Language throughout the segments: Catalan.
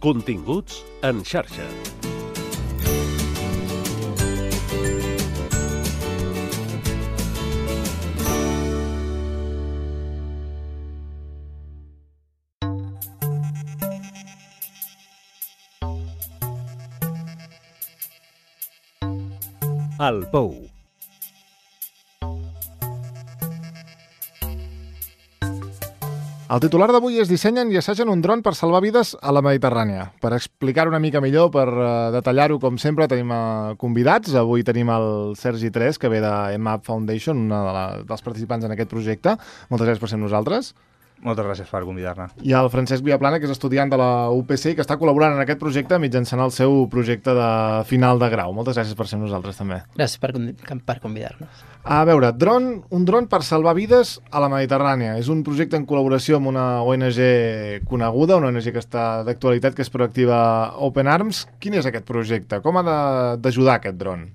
Continguts en xarxa. El Pou. El titular d'avui és dissenyen i assagen un dron per salvar vides a la Mediterrània. Per explicar-ho una mica millor, per detallar-ho, com sempre, tenim convidats. Avui tenim el Sergi Tres, que ve de EMAP Foundation, dels participants en aquest projecte. Moltes gràcies per ser amb nosaltres. Moltes gràcies per convidar-me. I el Francesc Viaplana, que és estudiant de la UPC i que està col·laborant en aquest projecte mitjançant el seu projecte de final de grau. Moltes gràcies per ser amb nosaltres, també. Gràcies per convidar-nos. A veure, un dron per salvar vides a la Mediterrània. És un projecte en col·laboració amb una ONG coneguda, una ONG que està d'actualitat, que és proactiva Open Arms. Quin és aquest projecte? Com ha d'ajudar aquest dron?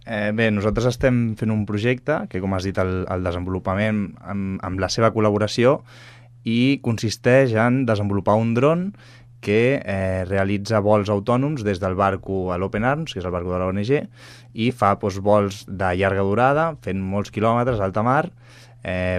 Bé, nosaltres estem fent un projecte que, com has dit, el desenvolupament amb la seva col·laboració i consisteix en desenvolupar un dron que realitza vols autònoms des del barco a l'Open Arms, que és el barco de l'ONG, i fa vols de llarga durada, fent molts quilòmetres a alta mar,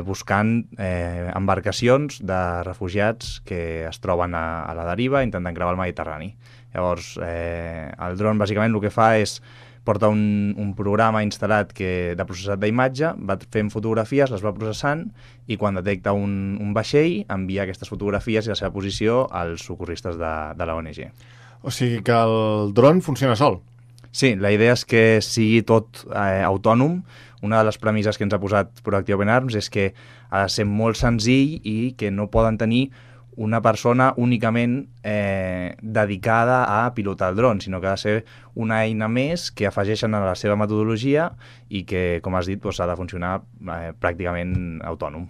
buscant embarcacions de refugiats que es troben a la deriva intentant creuar el Mediterrani. Llavors, el dron bàsicament el que fa és porta un programa instal·lat de processat d'imatge, va fent fotografies, les va processant i quan detecta un vaixell envia aquestes fotografies i la seva posició als socorristes de la ONG. O sigui que el dron funciona sol? Sí, la idea és que sigui tot autònom. Una de les premisses que ens ha posat Proactive Open Arms és que ha de ser molt senzill i que no poden tenir una persona únicament dedicada a pilotar el dron, sinó que ha de ser una eina més que afegeixen a la seva metodologia i que, com has dit, ha de funcionar pràcticament autònom.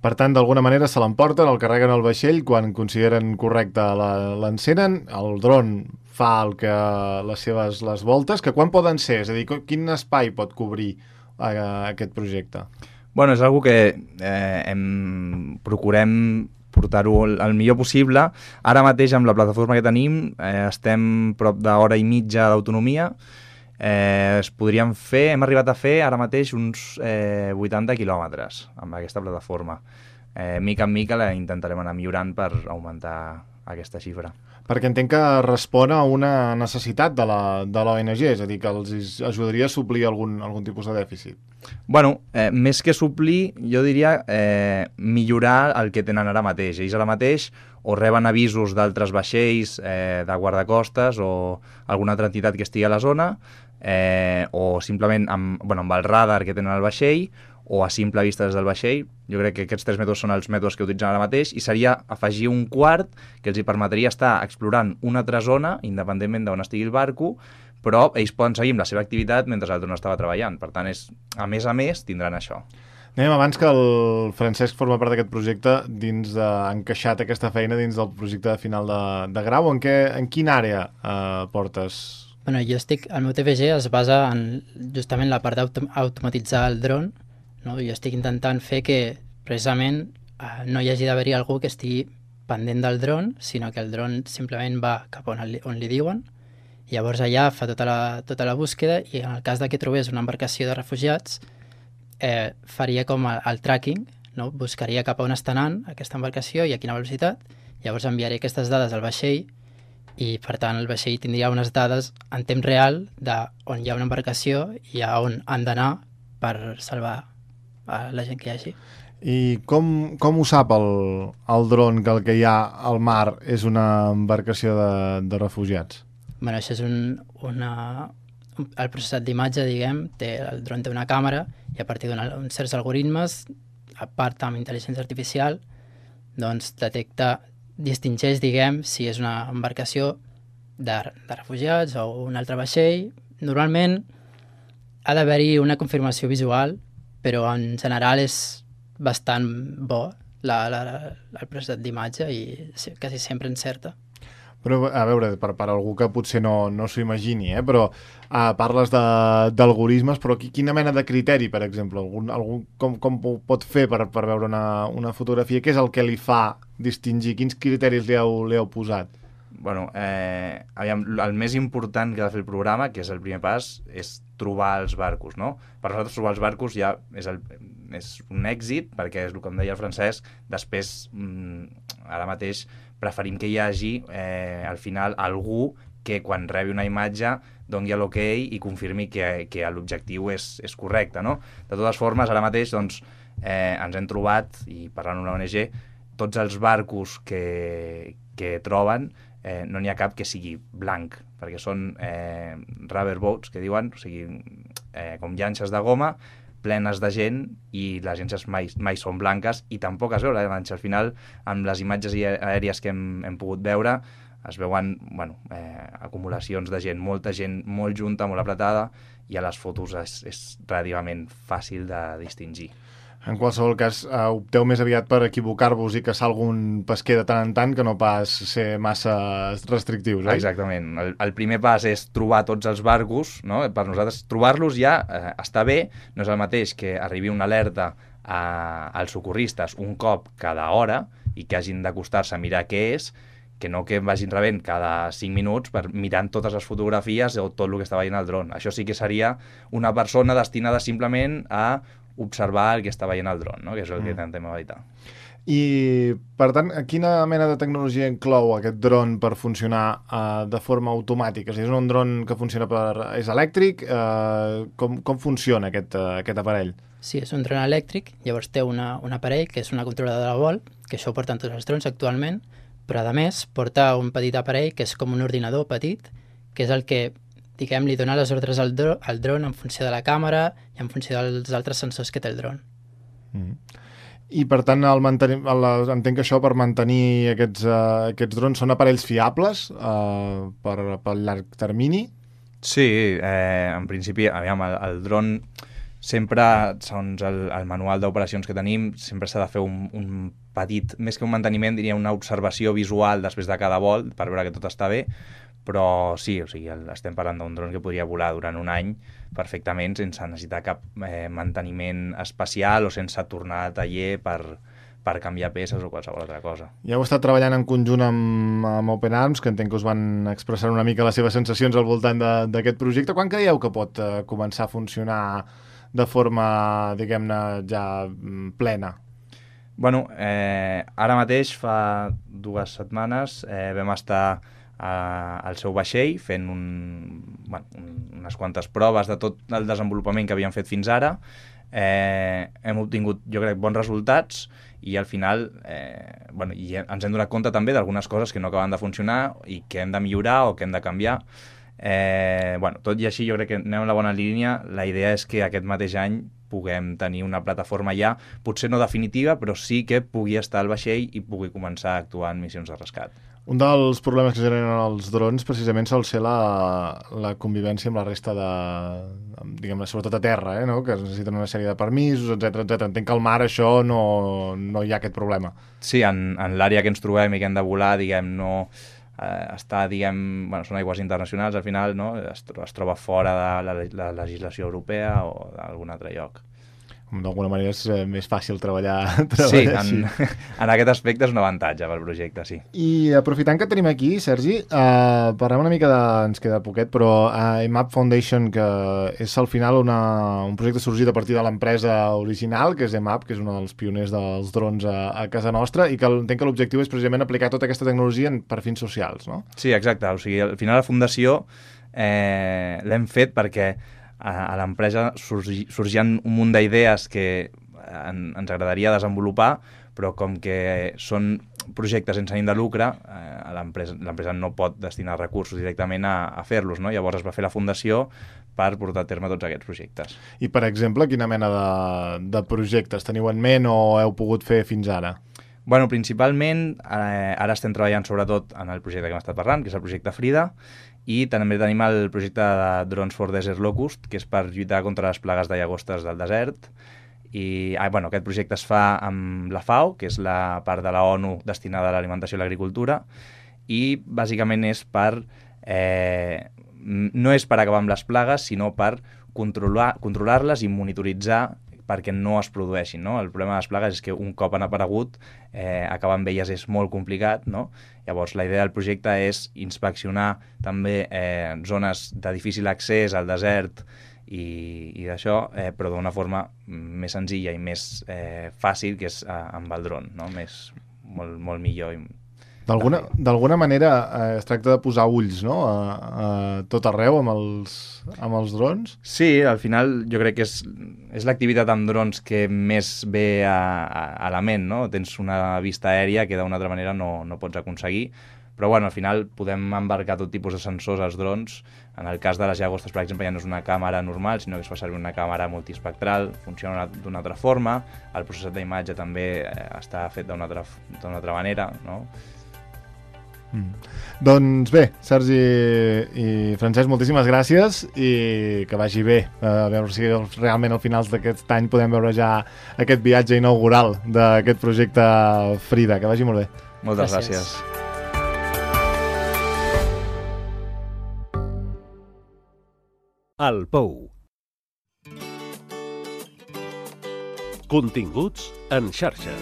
Per tant, d'alguna manera se l'emporten, el carreguen al vaixell, quan consideren correcte l'encenen, el dron fa les voltes, que quan poden ser? És a dir, quin espai pot cobrir aquest projecte? Bueno, és una que procurem portar-ho el millor possible. Ara mateix, amb la plataforma que tenim, estem prop d'hora i mitja d'autonomia. Hem arribat a fer ara mateix uns 80 quilòmetres amb aquesta plataforma. Mica en mica la intentarem anar millorant per augmentar aquesta xifra. Perquè entenc que respon a una necessitat de l'ONG, és a dir, que els ajudaria a suplir algun tipus de dèficit. Bueno, més que suplir, jo diria millorar el que tenen ara mateix. Ells ara mateix o reben avisos d'altres vaixells de guardacostes o alguna altra entitat que estigui a la zona, o simplement amb el radar que tenen al vaixell, o a simple vista des del vaixell. Jo crec que aquests 3 mètodes són els mètodes que utilitzen ara mateix i seria afegir un quart que els hi permetria estar explorant una altra zona, independentment d'on estigui el barco, però ells poden seguir amb la seva activitat mentre el dron estava treballant. Per tant, a més, tindran això. Anem abans que el Francesc forma part d'aquest projecte, encaixat aquesta feina dins del projecte de final de grau. En quina àrea portes? Bueno, el meu TFG es basa en justament la part d'automatitzar el dron. No? Jo estic intentant fer que precisament no hi hagi d'haver-hi algú que estigui pendent del dron, sinó que el dron simplement va cap on li diuen, i llavors allà fa tota la búsqueda, i en el cas de que trobés una embarcació de refugiats faria com el tracking, no? Buscaria cap a on està anant aquesta embarcació i a quina velocitat, llavors enviaria aquestes dades al vaixell i per tant el vaixell tindria unes dades en temps real d'on hi ha una embarcació i a on han d'anar per salvar a la gent que hi hagi. I com ho sap el dron que el que hi ha al mar és una embarcació de refugiats? Bueno, això és el processat d'imatge, diguem, el dron té una càmera i a partir d'uns certs algoritmes, a part amb intel·ligència artificial, doncs distingeix, diguem, si és una embarcació de refugiats o un altre vaixell. Normalment ha d'haver-hi una confirmació visual, però en general és bastant bo el processat d'imatge i quasi sempre encerta. Però, a veure, per algú que potser no s'ho imagini, però parles d'algoritmes, però quina mena de criteri, per exemple? Com ho pot fer per veure una fotografia? Què és el que li fa distingir? Quins criteris li heu posat? Bueno, aviam, el més important que ha de fer el programa, que és el primer pas, és trobar els barcos, no? Per nosaltres trobar els barcos ja és un èxit, perquè és el que em deia el Francesc, després, ara mateix, preferim que hi hagi, al final, algú que quan rebi una imatge doni l'ok i confirmi que l'objectiu és correcte, no? De totes formes, ara mateix, doncs, ens hem trobat, i parlant amb una ONG, tots els barcos que troben, no n'hi ha cap que sigui blanc, perquè són rubber boats, que diuen, o sigui, com llanxes de goma, plenes de gent, i les llanxes mai són blanques, i tampoc es veu la llanxa. Al final, amb les imatges aèries que hem pogut veure, es veuen acumulacions de gent, molta gent molt junta, molt apretada, i a les fotos és relativament fàcil de distingir. En qualsevol cas, opteu més aviat per equivocar-vos i caçar algun pesquer de tant en tant que no pas ser massa restrictius, oi? Exactament. El primer pas és trobar tots els barcos, no? Per nosaltres, trobar-los ja està bé, no és el mateix que arribi una alerta als socorristes un cop cada hora i que hagin d'acostar-se a mirar què és, que no que vagin rebent cada 5 minuts per mirant totes les fotografies o tot el que està veient el dron. Això sí que seria una persona destinada simplement a observar el que està veient el dron, no? Que és el que intentem evitar. I, per tant, quina mena de tecnologia inclou aquest dron per funcionar de forma automàtica? És un dron que funciona és elèctric? Com funciona aquest aparell? Sí, és un dron elèctric, llavors té un aparell que és una controladora de vol, que això ho porten tots els drons actualment, però a més porta un petit aparell que és com un ordinador petit, que és el que, diguem, li dona les ordres al dron en funció de la càmera i en funció dels altres sensors que té el dron. I per tant, entenc que això per mantenir aquests drons són aparells fiables per llarg termini? Sí, en principi, aviam, el dron sempre, segons el manual d'operacions que tenim, sempre s'ha de fer un petit, més que un manteniment, diria una observació visual després de cada vol per veure que tot està bé, però sí, o sigui, estem parlant d'un dron que podria volar durant un any perfectament sense necessitar cap manteniment especial o sense tornar a taller per canviar peces o qualsevol altra cosa. Ja heu estat treballant en conjunt amb Open Arms, que entenc que us van expressar una mica les seves sensacions al voltant d'aquest projecte. Quan creieu que pot començar a funcionar de forma, diguem-ne, ja plena? Bueno, ara mateix, fa 2 setmanes, vam estar al seu vaixell fent unes quantes proves de tot el desenvolupament que havíem fet fins ara. Hem obtingut, jo crec, bons resultats i al final i ens hem donat compte també d'algunes coses que no acaben de funcionar i que hem de millorar o que hem de canviar. Tot i així jo crec que anem en la bona línia. La idea és que aquest mateix any puguem tenir una plataforma ja, potser no definitiva, però sí que pugui estar al vaixell i pugui començar a actuar en missions de rescat. Un dels problemes que generen els drons precisament sol ser la convivència amb la resta diguem-ne, sobretot a terra, no? Que necessiten una sèrie de permisos, etc. Entenc que al mar això no hi ha aquest problema. Sí, en l'àrea que ens trobem i que hem de volar, diguem, no està, diguem, són aigües internacionals, al final, no? Es troba fora de la legislació europea o d'algun altre lloc. D'alguna manera és més fàcil treballar sí, així. En aquest aspecte és un avantatge pel projecte, sí. I aprofitant que tenim aquí, Sergi, parlem una mica ens queda poquet, però EMAP Foundation, que és al final un projecte sorgit a partir de l'empresa original, que és EMAP, que és un dels pioners dels drons a casa nostra, i que entenc que l'objectiu és precisament aplicar tota aquesta tecnologia per fins socials, no? Sí, exacte. O sigui, al final la fundació l'hem fet perquè a l'empresa sorgien un munt d'idees que ens agradaria desenvolupar, però com que són projectes sense ànim de lucre, l'empresa no pot destinar recursos directament a fer-los, no? Llavors es va fer la fundació per portar a terme tots aquests projectes. I, per exemple, quina mena de projectes teniu en ment o heu pogut fer fins ara? Bueno, principalment, ara estem treballant sobretot en el projecte que hem estat parlant, que és el projecte Frida, i també tenim el projecte de Drones for Desert Locust, que és per lluitar contra les plagues de llagostes del desert. I aquest projecte es fa amb la FAO, que és la part de la ONU destinada a l'alimentació i l'agricultura, i bàsicament és no és per acabar amb les plagues, sinó per controlar-les i monitoritzar perquè no es produeixin, no? El problema de les plagues és que un cop han aparegut, acabar amb elles és molt complicat, no? Llavors, la idea del projecte és inspeccionar també zones de difícil accés al desert i d'això, però d'una forma més senzilla i més fàcil, que és amb el dron, no? Molt millor. D'alguna manera es tracta de posar ulls, no? A tot arreu amb els drons? Sí, al final jo crec que és l'activitat amb drons que més ve a la ment, no? Tens una vista aèria que d'una altra manera no pots aconseguir, però bueno, al final podem embarcar tot tipus de sensors als drons. En el cas de les llagostes, per exemple, ja no és una càmera normal, sinó que es fa servir una càmera multiespectral, funciona d'una altra forma, el processat d'imatge també està fet d'una altra manera, no? Doncs bé, Sergi i Francesc, moltíssimes gràcies i que vagi bé. A veure si realment al finals d'aquest any podem veure ja aquest viatge inaugural d'aquest projecte Frida. Que vagi molt bé. Moltes gràcies. El Pou. Continguts en xarxa.